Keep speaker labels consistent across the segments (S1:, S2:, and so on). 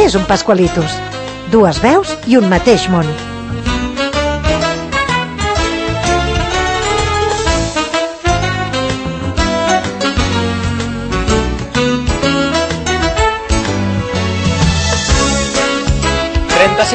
S1: Què és un Pascualitos? Dues veus i un mateix món.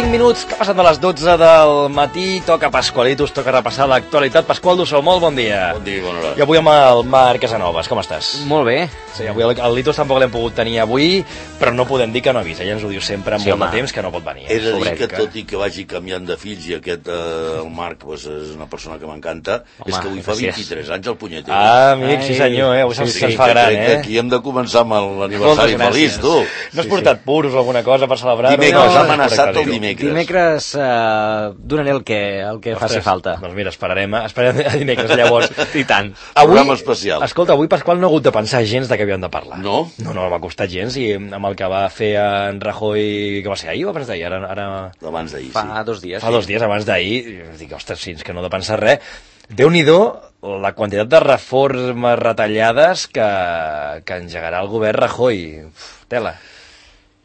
S2: Minuts que passen de les 12 del matí, toca Pascualitos, toca repassar l'actualitat. Pasqual Dussó, molt bon dia.
S3: Bon dia, bona hora.
S2: I avui amb el Marc Casanovas, com estàs?
S4: Molt bé.
S2: Sí, avui el Litos tampoc l'hem pogut tenir avui, però no podem dir que no avisa, ella ens ho diu sempre amb molt de temps que no pot venir.
S3: He de dir que tot i que vagi canviant de fills i aquest, el Marc, pues, és una persona que m'encanta, és que avui fa 23 anys el punyeter.
S2: Ah, amic, sí senyor, avui se'ns fa gran,
S3: Aquí hem de començar amb l'aniversari feliç, tu.
S2: No has portat puros o alguna cosa per celebrar-ho?
S3: Dimecres, ha amenaçat el dimecres.
S4: Dimecres donaré el que faci falta.
S2: Doncs mira, esperarem a dimecres, llavors.
S4: I tant.
S3: Programa especial.
S2: Escolta, avui Pasqual no ha hagut de pensar gens de què havíem de parlar.
S3: No?
S2: No m'ha costat gens, i amb el que va fer en Rajoy, que va ser ahir o abans d'ahir?
S3: Abans d'ahir, sí.
S4: Fa 2 dies.
S2: Fa 2 dies, abans d'ahir. Dic, ostres, sí, és que no he de pensar res. Déu-n'hi-do la quantitat de reformes retallades que engegarà el govern Rajoy. Tela.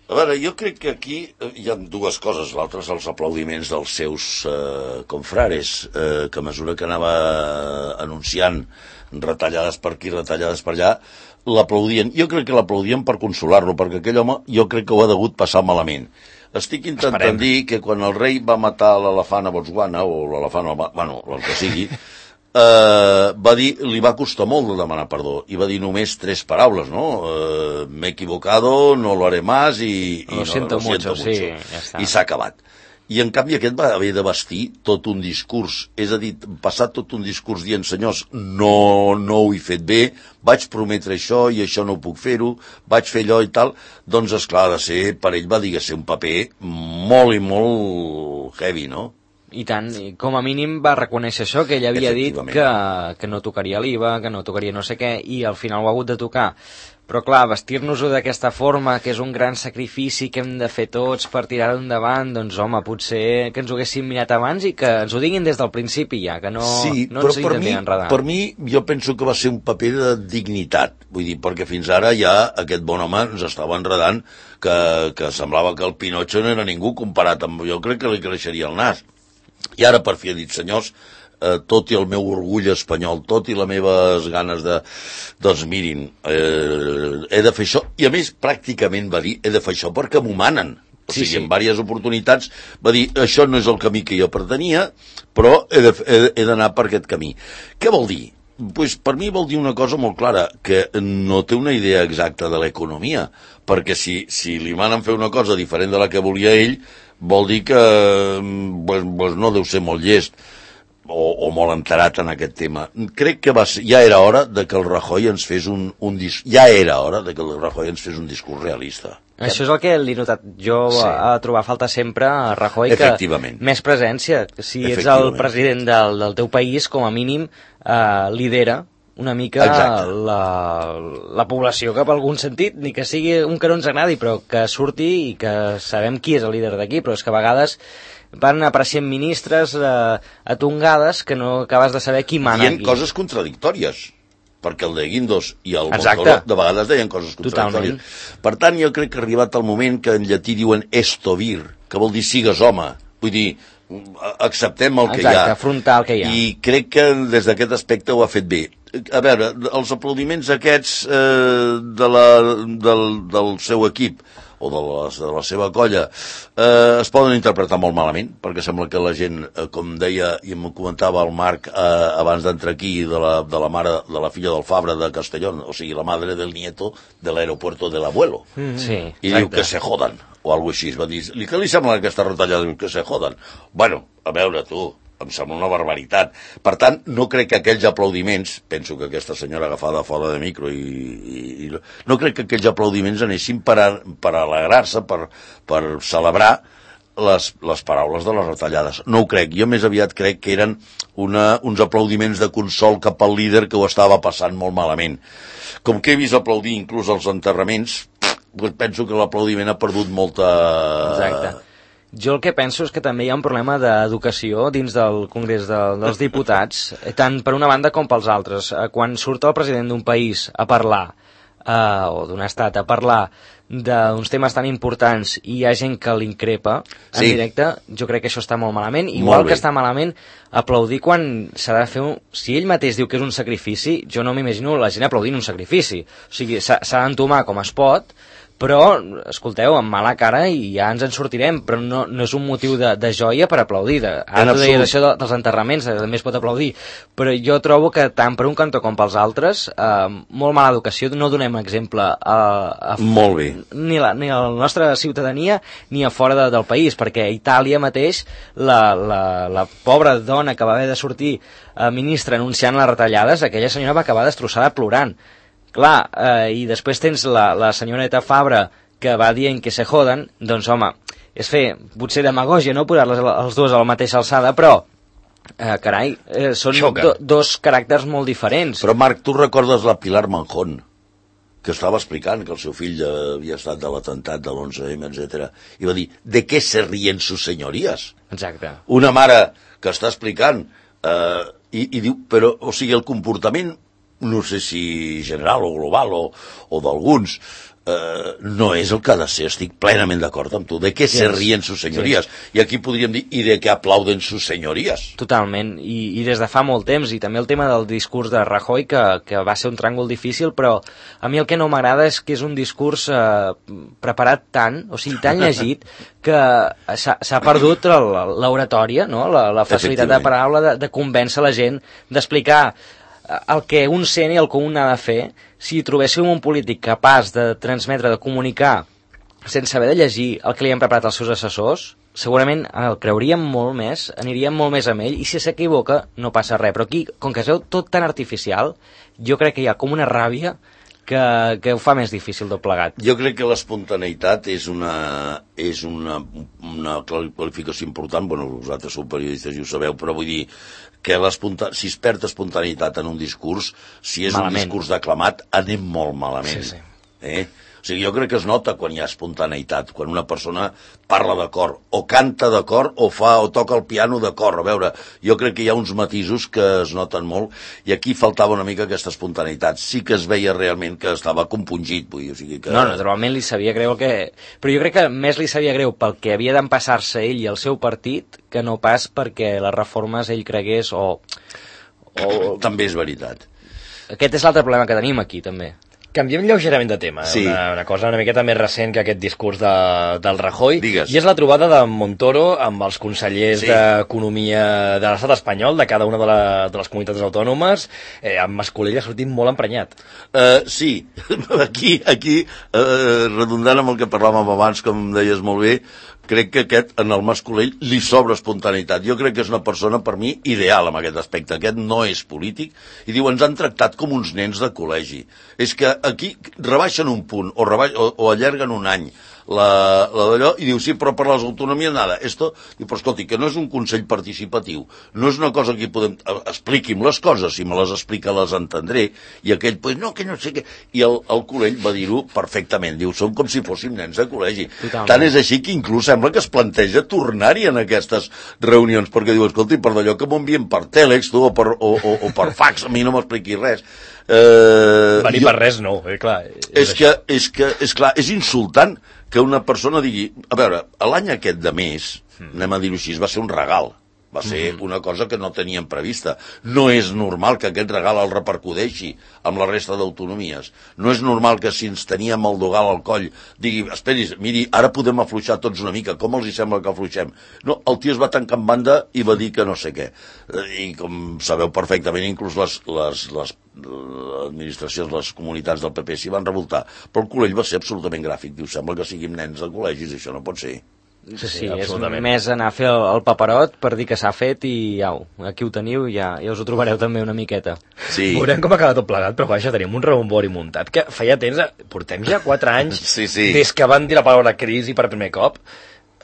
S3: A veure, jo crec que aquí hi ha dues coses. L'altra és els aplaudiments dels seus confrares, que a mesura que anava anunciant retallades per aquí, retallades per allà, l'aplaudien. Jo crec que l'aplaudien per consolar-lo, perquè aquell home jo crec que ho ha degut passar malament. Estic intentant dir que quan el rei va matar l'elefant a Botswana, o l'elefant, bueno, el que sigui, va dir, li va costar molt de demanar perdó, i va dir només 3 paraules, no? Me he equivocado, no lo haré más, y
S4: lo siento mucho. Sí, ja està.
S3: I s'ha acabat. I en canvi aquest va haver de vestir tot un discurs, és a dir, passar tot un discurs dient, senyors, no ho he fet bé, vaig prometre això i això no puc fer-ho, vaig fer allò i tal. Doncs esclar, ha de ser, per ell va dir que ser un paper molt i molt heavy, no?
S4: I tant, com a mínim va reconèixer això, que ell havia dit que no tocaria l'IVA, que no tocaria no sé què, i al final ho ha hagut de tocar. Però clar, vestir-nos-ho d'aquesta forma, que és un gran sacrifici que hem de fer tots per tirar-ho endavant, doncs home, potser que ens ho haguéssim mirat abans i que ens ho diguin des del principi ja, que no,
S3: sí,
S4: no ens intentin enredar.
S3: Per mi, jo penso que va ser un paper de dignitat, vull dir, perquè fins ara ja aquest bon home ens estava enredant que semblava que el Pinocho no era ningú comparat amb... Jo crec que li creixeria el nas. I ara per fi ha dit, senyors, tot i el meu orgull espanyol, tot i les meves ganes de... Doncs mirin, he de fer això. I a més, pràcticament va dir, he de fer això perquè m'ho manen. O sigui, en diverses oportunitats va dir, això no és el camí que jo pretenia, però he d'anar per aquest camí. Què vol dir? Pues per mi vol dir una cosa molt clara, que no té una idea exacta de l'economia, perquè si li manen fer una cosa diferent de la que volia ell, vol dir que pues no deu ser molt llest o molt enterat en aquest tema. Crec que ja era hora de que el Rajoy ens fes un discurs realista.
S4: Això és el que li he notat jo a trobar falta sempre a Rajoy, que més presència. Si ets el president del teu país, com a mínim lidera una mica la població cap a algun sentit, ni que sigui un que no ens agradi, però que surti i que sabem qui és el líder d'aquí, però és que a vegades van apareixent ministres atongades que no acabes de saber qui mana aquí.
S3: Dient coses contradictòries, perquè el de Guindos i el Montoro de vegades deien coses contradictòries. Per tant, jo crec que ha arribat el moment que en llatí diuen esto vir, que vol dir sigues home, vull dir, acceptem el que hi ha.
S4: Afrontar el que hi ha.
S3: I crec que des d'aquest aspecte ho ha fet bé. A veure, els aplaudiments aquests del seu equip o de la seva colla es poden interpretar molt malament, perquè sembla que la gent, com deia i em comentava el Marc abans d'entrar aquí, de la mare, de la filla del Fabra de Castellón, o sigui, la madre del nieto de l'aeropuerto del abuelo.
S4: Sí,
S3: i diu que se jodan, o alguna cosa així. Va dir, què li sembla aquesta retallada? Diu que se jodan. Bueno, a veure, tu, em sembla una barbaritat. Per tant, no crec que aquells aplaudiments, penso que aquesta senyora agafada fora de micro, i no crec que aquells aplaudiments anessin per alegrar-se, per celebrar les paraules de les retallades. No ho crec. Jo més aviat crec que eren uns aplaudiments de consol cap al líder que ho estava passant molt malament. Com que he vist aplaudir inclús els enterraments, doncs penso que l'aplaudiment ha perdut molta...
S4: Exacte. Jo el que penso és que també hi ha un problema d'educació dins del Congrés dels Diputats, tant per una banda com pels altres. Quan surt el president d'un país a parlar o d'un estat a parlar d'uns temes tan importants i hi ha gent que l'increpa en directe, jo crec que això està molt malament. Igual que està malament aplaudir quan s'ha de fer... Si ell mateix diu que és un sacrifici, jo no m'imagino la gent aplaudint un sacrifici. O sigui, s'ha d'entomar com es pot, però, escolteu, amb mala cara i ja ens en sortirem, però no és un motiu de joia per aplaudir. Ara tu deies això dels enterraments, també es pot aplaudir, però jo trobo que tant per un cantó com pels altres, molt mala educació, no donem exemple
S3: molt bé.
S4: Ni a la nostra ciutadania ni a fora del país, perquè a Itàlia mateix la pobra dona que va haver de sortir ministra anunciant les retallades, aquella senyora va acabar destrossada plorant. Clar, i després tens la senyoreta Fabra que va dient que se joden, doncs home, és fer potser demagògia, no posar els dos a la mateixa alçada, però carai, són dos caràcters molt diferents.
S3: Però Marc, tu recordes la Pilar Manjón, que estava explicant que el seu fill havia estat de l'atemptat de l'11M, etc. I va dir, ¿de qué se ríen sus señorías?
S4: Exacte.
S3: Una mare que està explicant i diu, però, o sigui, el comportament no sé si general o global o d'alguns, no és el que ha de ser, estic plenament d'acord amb tu. De què se ríen sus señorías? I aquí podríem dir, i de què aplauden sus señorías?
S4: Totalment, i des de fa molt temps, i també el tema del discurs de Rajoy, que va ser un tràngol difícil, però a mi el que no m'agrada és que és un discurs preparat tant, o sigui, tan llegit, que s'ha perdut l'oratòria, no? La facilitat de paraula, de convèncer la gent, d'explicar el que un sent i el que un ha de fer. Si trobéssim un polític capaç de transmetre, de comunicar, sense haver de llegir el que li han preparat els seus assessors, segurament el creuríem molt més, aniríem molt més amb ell, i si s'equivoca no passa res. Però aquí, com que es veu tot tan artificial, jo crec que hi ha com una ràbia que ho fa més difícil tot plegat.
S3: Jo crec que l'espontaneïtat és una qualificació important. Bueno, vosaltres sou periodistes i ho sabeu, però vull dir que si es perd espontaneïtat en un discurs, si és un discurs declamat, anem molt malament.
S2: Sí.
S3: O sigui, jo crec que es nota quan hi ha espontaneïtat, quan una persona parla de cor, o canta de cor, o toca el piano de cor. A veure, jo crec que hi ha uns matisos que es noten molt, i aquí faltava una mica aquesta espontaneïtat. Sí que es veia realment que estava compungit, vull dir, o sigui que...
S4: No, naturalment li sabia greu Però jo crec que més li sabia greu pel que havia d'empassar-se ell i el seu partit, que no pas perquè les reformes ell cregués o...
S3: També és veritat.
S4: Aquest és l'altre problema que tenim aquí, també.
S2: Canviem lleugerament de tema,
S3: sí.
S2: Una cosa una miqueta més recent que aquest discurs del Rajoy.
S3: Digues.
S2: I és la trobada de Montoro amb els consellers d'Economia de l'estat espanyol, de cada una de les comunitats autònomes, amb Mascolell ha sortit molt emprenyat.
S3: Sí, aquí redundant amb el que parlàvem abans, com deies molt bé, crec que en el Mascolell li sobra espontaneïtat. Jo crec que és una persona, per mi, ideal en aquest aspecte. Aquest no és polític. I diu, ens han tractat com uns nens de col·legi. És que aquí rebaixen un punt o allarguen un any d'allò, i diu, sí, però per les autonomies nada. Diu, però escolti, que no és un consell participatiu, no és una cosa que podem... Expliqui'm les coses, si me les explica les entendré. I aquell, pues no, que no sé què... I el Colell va dir-ho perfectament. Diu, som com si fóssim nens de col·legi. Totalment. Tant és així que inclús sembla que es planteja tornar-hi en aquestes reunions, perquè diu, escolti, per d'allò que m'envien per tèlex, tu, o per fax, a mi no m'expliquis res.
S2: Venir per res no, clar.
S3: És clar, és insultant que una persona digui... A veure, l'any aquest de mes, anem a dir-ho així, va ser un regal. Va ser una cosa que no teníem prevista. No és normal que aquest regal el repercudeixi amb la resta d'autonomies. No és normal que si ens teníem el dogal al coll digui, esperi, miri, ara podem afluixar tots una mica, com els hi sembla que afluixem? No, el tio es va tancar en banda i va dir que no sé què. I com sabeu perfectament, inclús les administracions, les comunitats del PP s'hi van revoltar. Però el Colell va ser absolutament gràfic. Diu, sembla que siguin nens de col·legis, això no pot ser.
S4: Sí, és més anar a fer el paperot per dir que s'ha fet i au, aquí ho teniu i ja us ho trobareu també una miqueta.
S2: Sí. Veurem com acaba tot plegat, però vaja, tenim un rebombori muntat que feia temps, portem ja 4 anys des que van dir la paraula crisi per primer cop.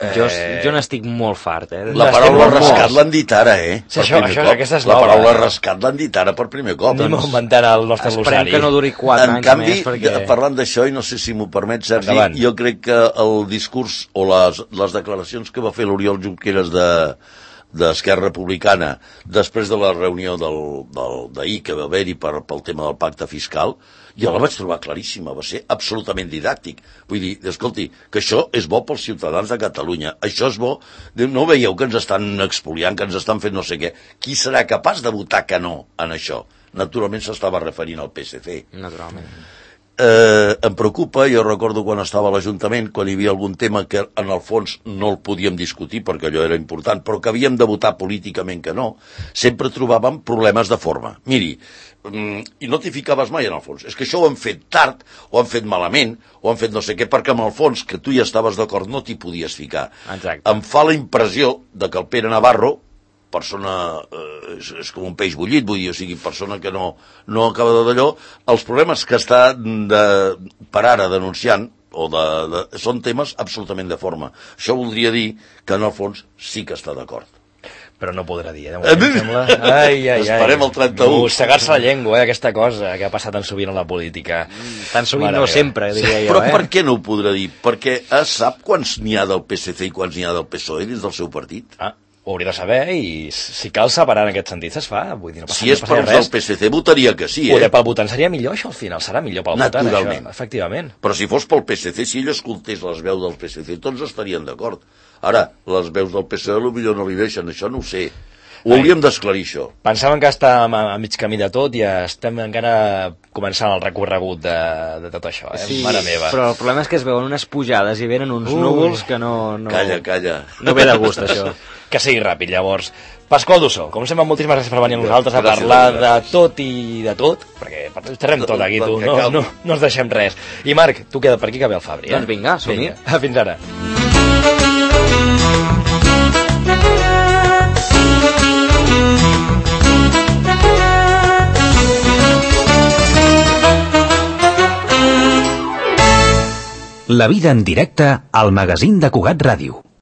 S4: Jo n'estic molt fart,
S3: La paraula rescat l'han dit ara,
S2: Aquesta és
S3: la paraula rescat l'han dit ara per primer cop.
S2: Anem a inventar el nostre glossari.
S4: Esperem que no duri 4 anys més.
S3: En canvi, parlant d'això, i no sé si m'ho permet, Sergi, jo crec que el discurs o les declaracions que va fer l'Oriol Junqueras d'Esquerra Republicana després de la reunió d'ahir que va haver-hi pel tema del pacte fiscal, Jo la vaig trobar claríssima, va ser absolutament didàctic. Vull dir, escolti, que això és bo pels ciutadans de Catalunya, això és bo... No veieu que ens estan expoliant, que ens estan fent no sé què? Qui serà capaç de votar que no en això? Naturalment s'estava referint al PSC.
S4: Naturalment.
S3: Em preocupa, jo recordo quan estava a l'Ajuntament, quan hi havia algun tema que en el fons no el podíem discutir perquè allò era important, però que havíem de votar políticament que no, sempre trobàvem problemes de forma. Miri, i no t'hi ficaves mai en el fons. És que això ho han fet tard, o han fet malament, o han fet no sé què, perquè en el fons, que tu ja estaves d'acord, no t'hi podies ficar.
S4: Exacte.
S3: Em fa la impressió de que el Pere Navarro, persona, és com un peix bullit, vull dir, o sigui, persona que no acaba d'allò, els problemes que està per ara denunciant, són temes absolutament de forma. Això voldria dir que en el fons sí que està d'acord.
S2: Però no podrà dir, de moment, sembla...
S3: Esperem el 31.
S2: Mossegar-se la llengua, aquesta cosa que ha passat tan sovint en la política.
S4: Tan sovint no sempre, diria jo.
S3: Però per què no ho podrà dir? Perquè sap quants n'hi ha del PSC i quants n'hi ha del PSOE dins del seu partit?
S2: Ho hauria de saber i si cal separar en aquest sentit es fa. Vull dir, no passa,
S3: si és per del PSC votaria que sí,
S2: pel votant seria millor, això al final serà millor pel votant, això, efectivament.
S3: Però si fos pel PSC, si ell escoltés les veus del PSC, tots estarien d'acord. Ara, les veus del PSOE potser no li deixen, això no ho sé. Ho hauríem d'esclarir, això.
S2: Pensàvem que estàvem a mig camí de tot i estem encara començant el recorregut de tot això,
S4: Sí,
S2: mare meva.
S4: Però el problema és que es veuen unes pujades i venen uns núvols que no...
S3: Calla.
S4: No ve de gust, això.
S2: Que sigui ràpid, llavors. Pasqual Dussó, com sempre, moltíssimes gràcies per venir a nosaltres a parlar de tot i de tot, perquè xerrem tot aquí, tu, no ens deixem res. I Marc, tu queda per aquí que ve el Fabri,
S4: Doncs vinga, som-hi.
S2: Fins ara.
S5: La vida en directe al magazín de Cugat Ràdio.